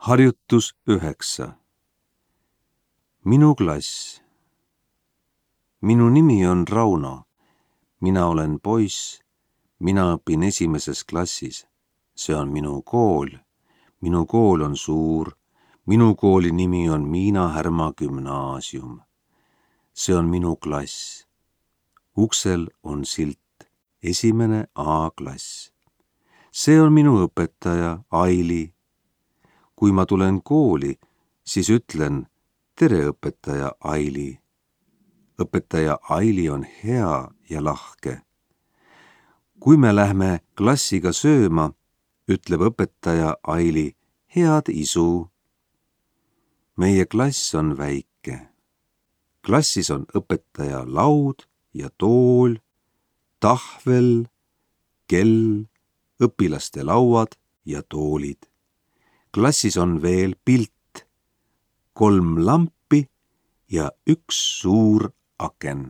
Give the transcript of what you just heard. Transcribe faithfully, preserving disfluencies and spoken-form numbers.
Harjutus üheksa. Minu klass. Minu nimi on Rauno. Mina olen poiss. Mina õpin esimeses klassis. See on minu kool. Minu kool on suur. Minu kooli nimi on Miina Härma Gümnaasium. See on minu klass. Uksel on silt. Esimene A-klass. See on minu õpetaja Aili. Kui ma tulen kooli, siis ütlen tere õpetaja Aili. Õpetaja Aili on hea ja lahke. Kui me lähme klassiga sööma, ütleb õpetaja Aili head isu. Meie klass on väike. Klassis on õpetaja laud ja tool, tahvel, kell, õpilaste lauad ja toolid. Klassis on veel pilt, kolm lampi ja üks suur aken.